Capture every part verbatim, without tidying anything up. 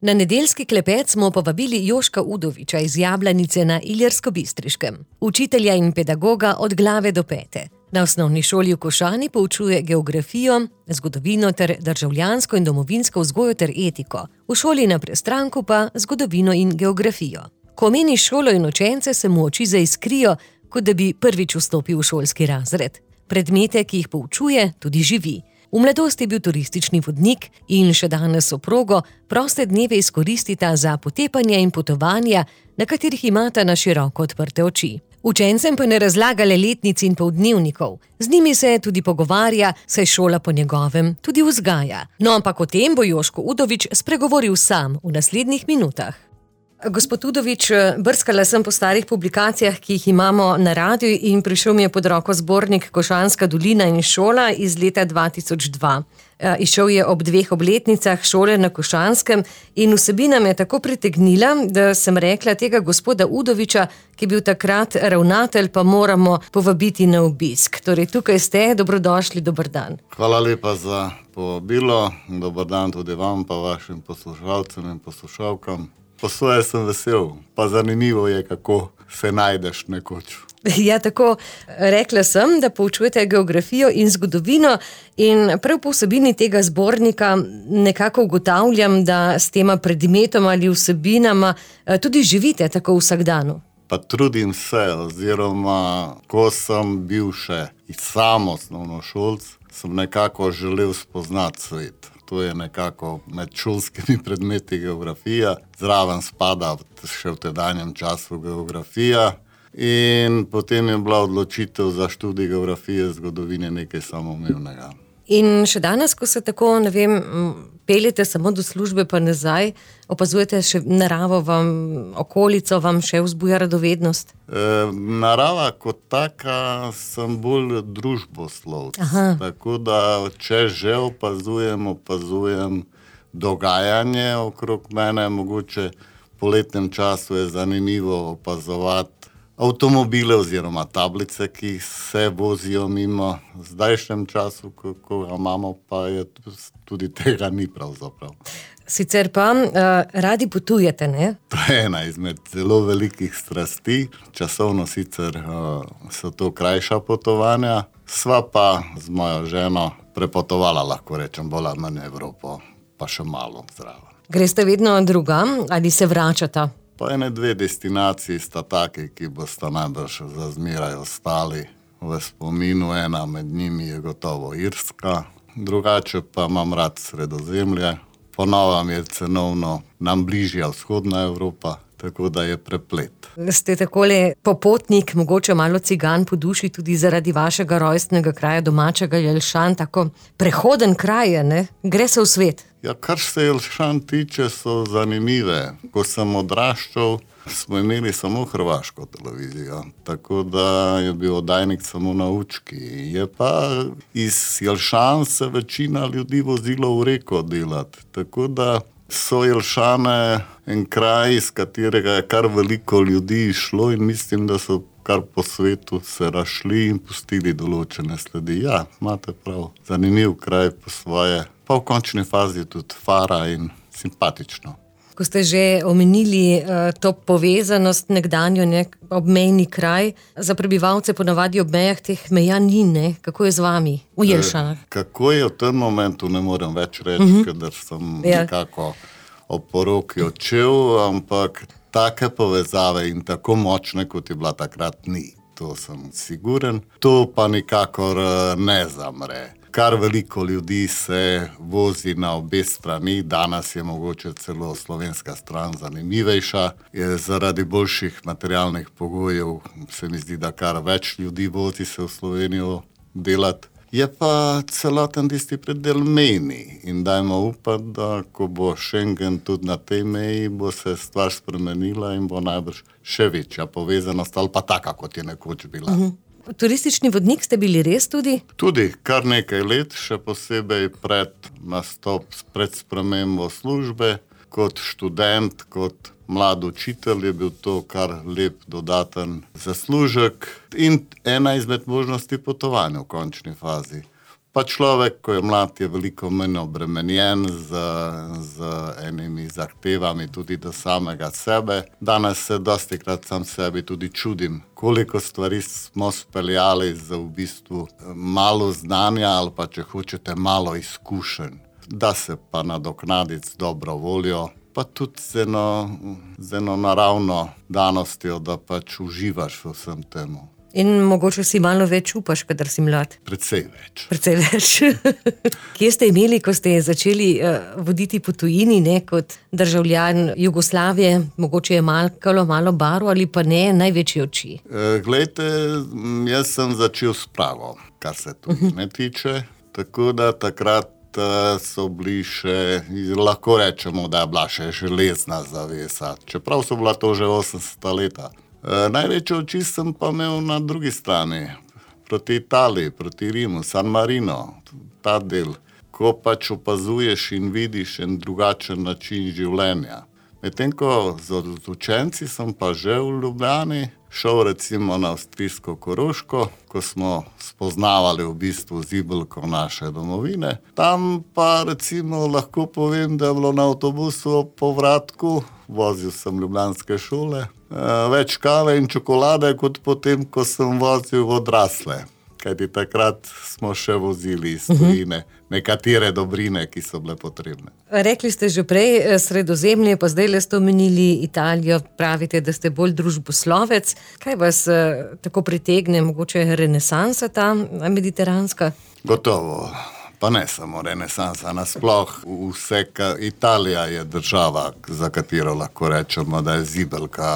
Na nedeljski klepet smo povabili Joška Udoviča iz Jablanice na Ilirsko-Bistriškem, učitelja in pedagoga od glave do pete. Na osnovni šoli v Košani poučuje geografijo, zgodovino ter državljansko in domovinsko vzgojo ter etiko. V šoli na Prestranku pa zgodovino in geografijo. Ko omeni šolo in učence, se mu oči zaiskrijo, kot da bi prvič vstopil v šolski razred. Predmete, ki jih poučuje, tudi živi. V mladosti je bil turistični vodnik in še danes soprogo proste dneve izkoristita za potepanje in potovanja, na katerih imata na široko odprte oči. Učencem pa ne razlaga le letnic in poldnevnikov. Z njimi se tudi pogovarja, saj šola po njegovem tudi vzgaja. No, ampak o tem bo Joško Udovič spregovoril sam v naslednjih minutah. Gospod Udovič, brskala sem po starih publikacijah, ki jih imamo na radiu, in prišel mi je pod roko zbornik Košanska dolina in šola iz leta dva tisoč dva. Izšel je ob dveh obletnicah šole na Košanskem in vsebina me je tako pritegnila, da sem rekla, tega gospoda Udoviča, ki je bil takrat ravnatelj, pa moramo povabiti na obisk. Torej, tukaj ste, dobrodošli, dober dan. Hvala lepa za povabilo, dober dan tudi vam, pa vašim poslušalcem in poslušalkam. Po svoje sem vesel, pa zanimivo je, kako se najdeš nekoč. Ja, tako rekla sem, da poučujete geografijo in zgodovino in prav po vsebini tega zbornika nekako ugotavljam, da s tema predmetoma ali vsebinama tudi živite tako v vsakdanu. Pa trudim se, oziroma ko sem bil še sam osnovnošolc, sem nekako želel spoznati svet. To je nekako med šolskimi predmeti geografija, zraven spada še v tedanjem času geografija in potem je bila odločitev za študij geografije, zgodovine nekaj samoumevnega. In še danes, ko se tako, ne vem, peljete samo do službe pa nazaj, opazujete še naravo vam, okolico vam še vzbuja radovednost? E, narava kot taka sem bolj družboslovc. Tako da, če že opazujem, opazujem dogajanje okrog mene, mogoče po letnem času je zanimivo opazovati avtomobile oziroma tablice, ki se vozijo mimo. V zdajšnjem času, ko ga imamo, pa je tudi tega ni pravzaprav. Sicer pa uh, radi potujete, ne? To je ena izmed zelo velikih strasti. Časovno sicer uh, so to krajša potovanja. Sva pa z mojo ženo prepotovala, lahko rečem, bolj ali manj Evropo, pa še malo zraven. Greste vedno drugam ali se vračata? Pa ene dve destinaciji sta taki, ki bosta najbrž za zmeraj ostali v spominu. Ena med njimi je gotovo Irska, drugače pa imam rad Sredozemlje. Po novem je cenovno nam bližja vzhodna Evropa, tako da je preplet. Ste takole popotnik, mogoče malo cigan po duši, tudi zaradi vašega rojstnega kraja, domačega Jelšan, tako prehoden kraj, ne? Gre se v svet. Ja, kar se Jelšan tiče, so zanimive. Ko sem odraščal, smo imeli samo hrvaško televizijo, tako da je bil oddajnik samo na Učki. Je pa iz Jelšan se večina ljudi vozilo v Reko delati, tako da so Jelšane en kraj, iz katerega je kar veliko ljudi išlo in mislim, da so kar po svetu se rašli in pustili določene sledi. Ja, imate prav, zanimiv kraj po svoje, pa v končni fazi tudi fara in simpatično. Ko ste že omenili uh, to povezanost nekdanjo, ne, obmejni kraj, za prebivalce ponavadi ob mejah teh meja ni, ne? Kako je z vami v Jelšanah? E, kako je v tem momentu, ne morem več reči, uh-huh. ker sem ja. nekako ob poroki odšel, ampak take povezave in tako močne, kot je bila takrat, ni. To sem siguren. To pa nikakor ne zamre. Kar veliko ljudi se vozi na obe strani, danes je mogoče celo slovenska stran zanimivejša. Je zaradi boljših materialnih pogojev se mi zdi, da kar več ljudi vozi se v Slovenijo delati. Je pa celoten tisti predel mejni in dajmo upati, da ko bo Schengen tudi na tej meji, bo se stvar spremenila in bo najbrž še večja povezanost ali pa taka, kot je nekoč bila. Uh-huh. Turistični vodnik ste bili res tudi? Tudi, kar nekaj let, še posebej pred nastop, pred spremembo službe, kot študent, kot mlad učitelj je bil to kar lep dodaten zaslužek in ena izmed možnosti potovanja v končni fazi. Pa človek, ko je mlad, je veliko manj obremenjen z, z enimi zahtevami tudi do samega sebe. Danes se dostikrat sam sebi tudi čudim, koliko stvari smo speljali za v bistvu malo znanja ali pa, če hočete, malo izkušenj. Da se pa nadoknaditi z dobro voljo, pa tudi z eno, z eno naravno danostjo, da pač uživaš v vsem temu. In mogoče si malo več upaš, kadar si mlad. Precej več. Precej več. Kje ste imeli, ko ste začeli uh, voditi po tujini, ne, kot državljan Jugoslavije, mogoče je malkalo, malo baro ali pa ne, največje oči? E, glejte, jaz sem začel s Prago, kar se tudi ne tiče, tako da takrat so bili še, lahko rečemo, da je bila še železna zavesa, čeprav so bila to že osemdeseta leta. E, največje oči sem pa imel na drugi strani, proti Italiji, proti Rimu, San Marino, ta del, ko pač opazuješ in vidiš en drugačen način življenja. Medtem ko z učenci sem pa že v Ljubljani šel recimo na avstrijsko Koroško, ko smo spoznavali v bistvu zibelko naše domovine. Tam pa recimo lahko povem, da je bilo na avtobusu po povratku, vozil sem ljubljanske šole, več kave in čokolade, kot potem, ko sem vozil odrasle. Kajti takrat smo še vozili iz tujine nekatere dobrine, ki so bile potrebne. Rekli ste že prej Sredozemlje, pa zdaj le ste omenili Italijo, pravite, da ste bolj družboslovec. Kaj vas eh, tako pritegne, mogoče renesansa ta mediteranska? Gotovo, pa ne samo renesansa, nasploh vse, Italija je država, za katero lahko rečemo, da je zibelka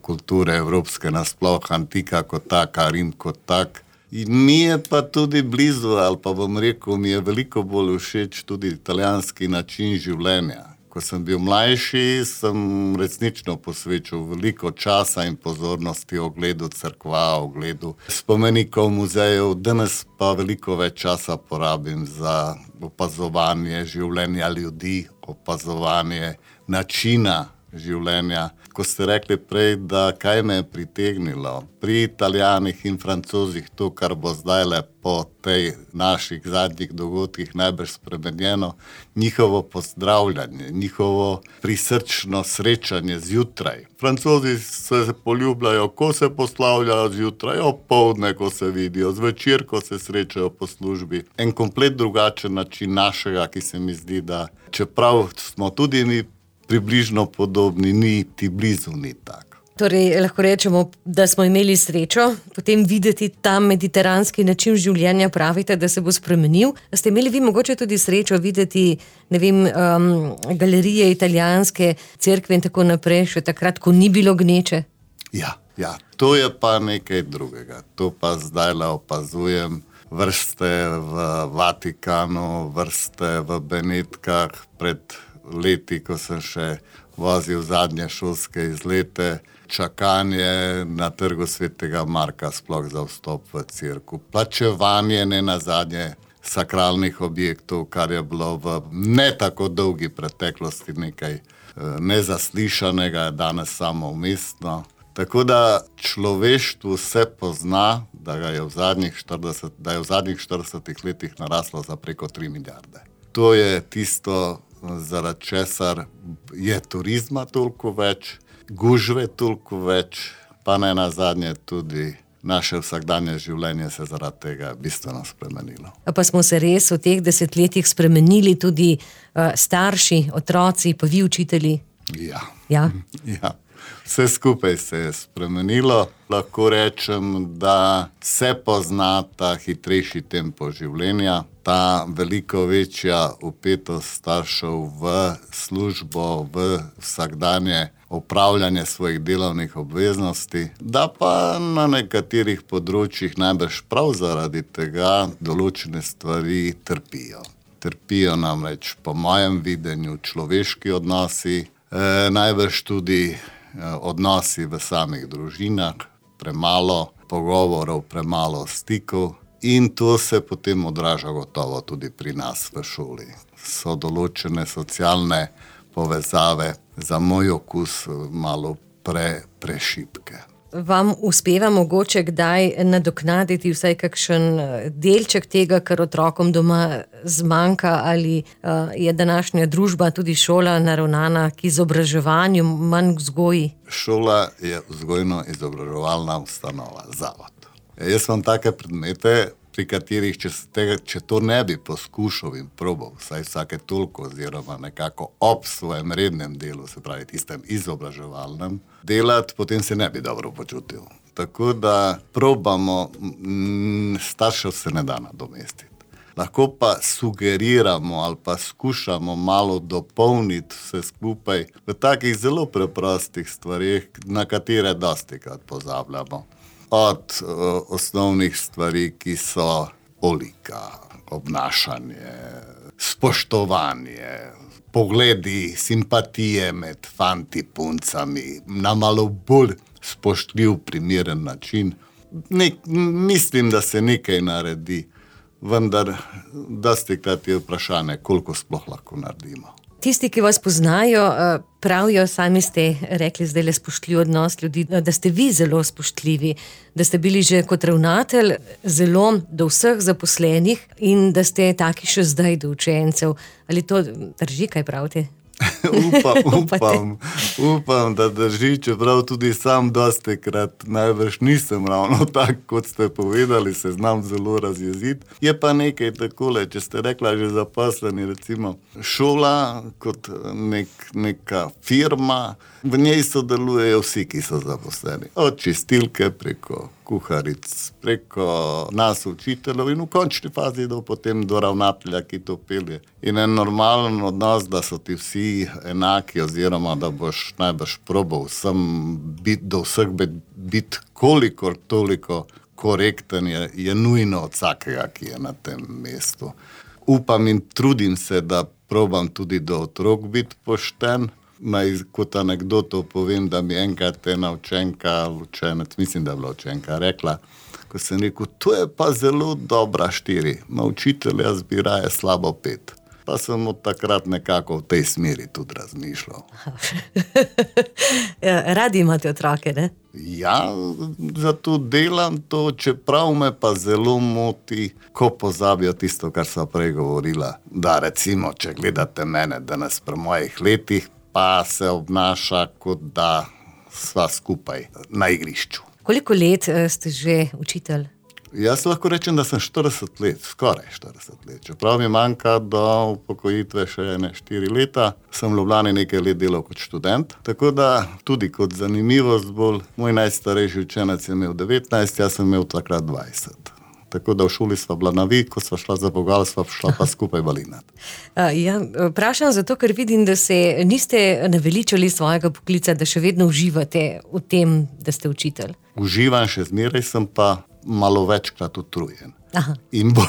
kulture evropske, nasploh antika kot taka, Rim kot tak. In mi je pa tudi blizu, ali pa bom rekel, mi je veliko bolj všeč tudi italijanski način življenja. Ko sem bil mlajši, sem resnično posvečal veliko časa in pozornosti ogledu cerkva, ogledu spomenikov, muzejev. Danes pa veliko več časa porabim za opazovanje življenja ljudi, opazovanje načina življenja. Ko ste rekli prej, da kaj me je pritegnilo pri Italijanih in Francozih, to, kar bo zdajle po tej naših zadnjih dogodkih najbrž spremenjeno, njihovo pozdravljanje, njihovo prisrčno srečanje zjutraj. Francozi se poljubljajo, ko se poslavljajo zjutraj, opoldne, ko se vidijo, zvečer, ko se srečajo po službi. En komplet drugačen način našega, ki se mi zdi, da čeprav smo tudi mi približno podobni, ni ti blizu, ni tako. Torej, lahko rečemo, da smo imeli srečo potem videti ta mediteranski način življenja, pravite, da se bo spremenil. Ste imeli vi mogoče tudi srečo videti, ne vem, um, galerije italijanske, cerkve in tako naprej, še takrat, ko ni bilo gneče? Ja, ja, to je pa nekaj drugega. To pa zdajle opazujem. Vrste v Vatikanu, vrste v Benetkah, pred leti, ko sem še vozil zadnje šolske izlete, čakanje na trgu Svetega Marka sploh za vstop v cerkev, plačevanje ne nazadnje sakralnih objektov, kar je bilo v ne tako dolgi preteklosti nekaj nezaslišanega, danes samo umestno. Tako da človeštvu se pozna, da ga je v zadnjih štirideset, da je v zadnjih štiridesetih letih naraslo za preko tri milijarde. To je tisto, zaradi česar je turizma toliko več, gužve toliko več, pa ne nazadnje tudi naše vsakdanje življenje se zaradi tega bistveno spremenilo. Pa smo se res v teh desetletjih spremenili tudi uh, starši, otroci, pa vi učitelji? Ja. Ja? Ja. Vse skupaj se je spremenilo. Lahko rečem, da se pozna ta hitrejši tempo življenja, ta veliko večja vpetost staršev v službo, v vsakdanje opravljanje svojih delovnih obveznosti, da pa na nekaterih področjih najbrž prav zaradi tega določene stvari trpijo. Trpijo namreč po mojem videnju človeški odnosi, eh, najbrž tudi odnosi v samih družinah, premalo pogovorov, premalo stikov in to se potem odraža gotovo tudi pri nas v šoli. So določene socialne povezave za moj okus malo pre, prešibke. vam uspeva mogoče kdaj nadoknaditi vsaj kakšen delček tega, kar otrokom doma zmanjka, ali uh, je današnja družba, tudi šola, naravnana k izobraževanju, manj vzgoji? Šola je vzgojno-izobraževalna ustanova, zavod. Jaz imam take predmete, pri katerih, če, tega, če to ne bi poskušal in probal, vsaj vsake toliko oziroma nekako ob svojem rednem delu, se pravi tistem izobraževalnem, delati, potem se ne bi dobro počutil. Tako da probamo, m, staršev se ne da nadomestiti. Lahko pa sugeriramo ali pa skušamo malo dopolniti vse skupaj v takih zelo preprostih stvarih, na katere dostikrat pozabljamo. Od uh, osnovnih stvari, ki so olika, obnašanje, spoštovanje, pogledi, simpatije med fanti, puncami, na malo bolj spoštljiv, primeren način. Nek, mislim, da se nekaj naredi, vendar dostikrat je vprašanje, koliko sploh lahko naredimo. Tisti, ki vas poznajo, pravijo, sami ste rekli zdaj le spoštljiv odnos ljudi, da ste vi zelo spoštljivi, da ste bili že kot ravnatelj zelo do vseh zaposlenih in da ste taki še zdaj do učencev. Ali to drži, kaj pravite? upam, upam, upam, da drži, čeprav tudi sam dostikrat najbrž nisem ravno tak, kot ste povedali, se znam zelo razjeziti. Je pa nekaj takole, če ste rekla že zaposleni, recimo šola kot nek, neka firma, v njej sodelujejo vsi, ki so zaposleni. Od čistilke preko kuharic, preko nas učiteljev in v končni fazi do potem do ravnatelja, ki to pelje. In en normalen odnos, da so ti vsi enaki oziroma da boš najbrž probal vsem bit, do vseh biti kolikor toliko korekten, je, je nujno od vsakega, ki je na tem mestu. Upam in trudim se, da probam tudi do otrok biti pošten. Naj kot anekdoto povem, da mi enkrat ena učenka, učenec, mislim, da je bila učenka, rekla, ko sem rekel, to je pa zelo dobra štiri, ma učitelj, jaz bi raje slabo pet. Pa sem od takrat nekako v tej smeri tudi razmišljal. Ja, radi imate otroke, ne? Ja, zato delam to, čeprav me pa zelo moti, ko pozabijo tisto, kar sva prej govorila. Da recimo, če gledate mene danes pri mojih letih, pa se obnaša, kot da sva skupaj na igrišču. Koliko let ste že učitelj? Jaz lahko rečem, da sem štirideset let, skoraj štirideset let. Čeprav mi manjka do upokojitve še ene štiri leta, sem v Ljubljani nekaj let delal kot študent, tako da tudi kot zanimivost bolj, moj najstarejši učenec je imel devetnajst, jaz sem imel takrat dvajset. Tako da v šoli sva bila na vi, ko sva šla za vogal, sva šla pa skupaj balinat. Ja, vprašam zato, ker vidim, da se niste naveličali svojega poklica, da še vedno uživate v tem, da ste učitelj. Uživam še zmeraj, sem pa malo večkrat utrujen. In, bo,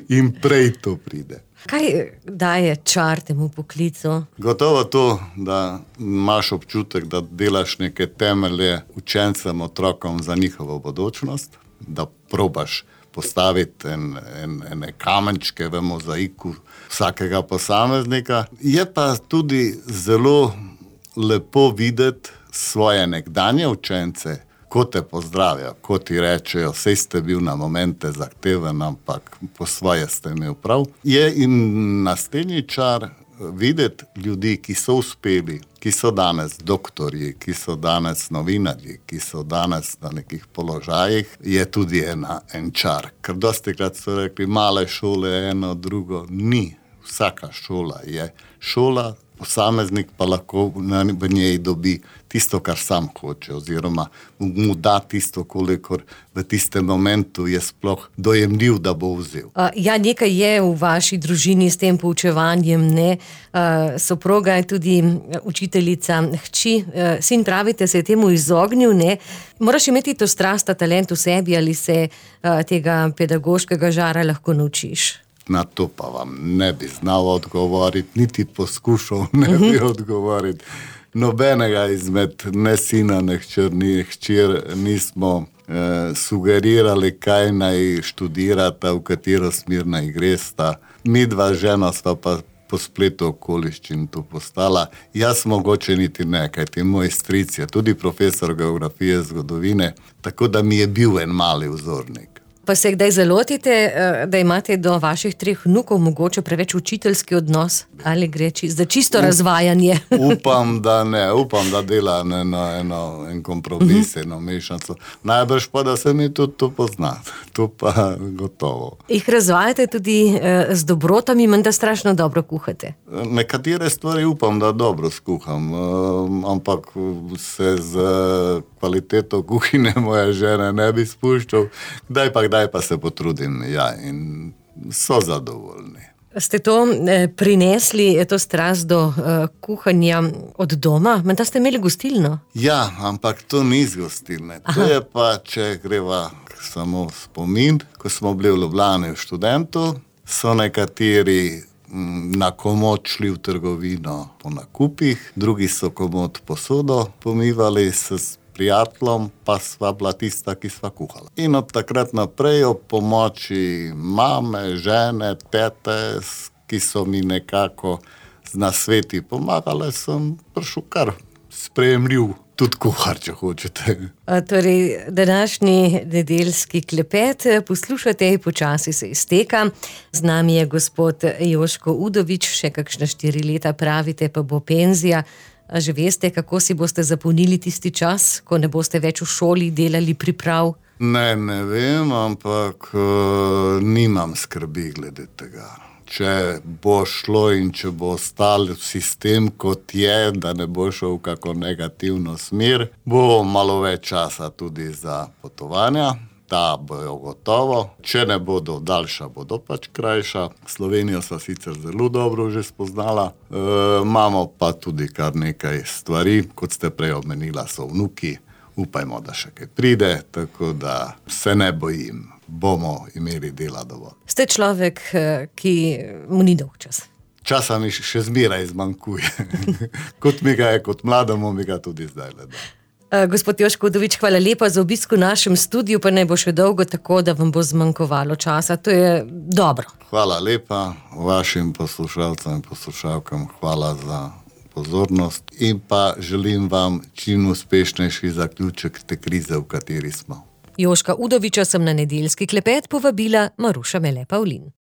in prej to pride. Kaj daje čar temu poklicu? Gotovo to, da imaš občutek, da delaš neke temelje učencem, otrokom za njihovo bodočnost, da probaš postaviti en, en, ene kamenčke v mozaiku vsakega posameznika. Je pa tudi zelo lepo videti svoje nekdanje učence, ko te pozdravijo, ko ti rečejo, sej ste bil na momente zahteven, ampak po svoje ste imel prav. Je in naslednji čar videti ljudi, ki so uspeli, ki so danes doktorji, ki so danes novinarji, ki so danes na nekih položajih, je tudi ena, en čar. Ker dostikrat so rekli, male šole, eno, drugo, ni. Vsaka šola je šola, posameznik pa lahko v njej dobi tisto, kar sam hoče, oziroma mu da tisto, kolikor v tistem momentu je sploh dojemljiv, da bo vzel. Ja, nekaj je v vaši družini s tem poučevanjem, ne? Soproga je tudi učiteljica hči. Sin, pravite, se je temu izognil, ne? Moraš imeti to strast, ta talent v sebi, ali se tega pedagoškega žara lahko naučiš? Na to pa vam ne bi znal odgovoriti, niti poskušal ne bi odgovoriti. Nobenega izmed ne sina, ne hčer, ni hčer, nismo eh, sugerirali, kaj naj študirata, v katero smer naj gresta. Mi dva žena sva pa po spletu okoliščin to postala. Jaz mogoče niti ne, kajti moj stric je tudi profesor geografije, zgodovine, tako da mi je bil en mali vzornik. Pa se kdaj zalotite, da imate do vaših treh vnukov mogoče preveč učiteljski odnos? Ali gre za čisto razvajanje? Upam, da ne. Upam, da dela eno, eno, en kompromis, eno mešanico. Najbrž pa, da se mi tudi to pozna. To pa gotovo. Jih razvajate tudi z dobrotami, menda strašno dobro kuhate? Nekatere stvari upam, da dobro skuham, ampak se z kvaliteto kuhine moje žene ne bi spuščal. Kdaj pa Kdaj pa se potrudim, ja, in so zadovoljni. Ste to eh, prinesli, to strast do eh, kuhanja od doma? Menda ste imeli gostilno? Ja, ampak to ni z gostilne. Aha. To je pa, če greva samo spomin, ko smo bili v Ljubljani v Študentu, so nekateri m, na komod šli v trgovino po nakupih, drugi so komod posodo pomivali s prijateljem, pa sva bila tista, ki sva kuhala. In od takrat naprej ob pomoči mame, žene, tete, ki so mi nekako z nasveti pomagale, sem prišel kar sprejemljiv, tudi kuhar, če hočete. A, torej, današnji nedeljski klepet poslušate, počasi se izteka. Z nami je gospod Joško Udovič, še kakšna štiri leta pravite, pa bo penzija. A že veste, kako si boste zapolnili tisti čas, ko ne boste več v šoli delali priprav? Ne, ne vem, ampak uh, nimam skrbi glede tega. Če bo šlo in če bo ostal sistem kot je, da ne bo šel v kako negativno smer, bo malo več časa tudi za potovanja. Ta bojo gotovo. Če ne bodo daljša, bodo pač krajša. Slovenijo sva sicer zelo dobro že spoznala. E, imamo pa tudi kar nekaj stvari, kot ste prej omenila, so vnuki. Upajmo, da še kaj pride, tako da se ne bojim. Bomo imeli dela dovolj. Ste človek, ki mu ni dolg čas. Časa mi še zmeraj zmanjkuje. Kot mi ga je, kot mlademu, mi ga tudi zdaj le da. Gospod Joško Udovič, hvala lepa za obisk v našem studiu, pa ne bo še dolgo tako, da vam bo zmanjkovalo časa. To je dobro. Hvala lepa vašim poslušalcem in poslušalkam. Hvala za pozornost in pa želim vam čim uspešnejši zaključek te krize, v kateri smo. Joška Udoviča sem na nedeljski klepet povabila Maruša Mele Pavlin.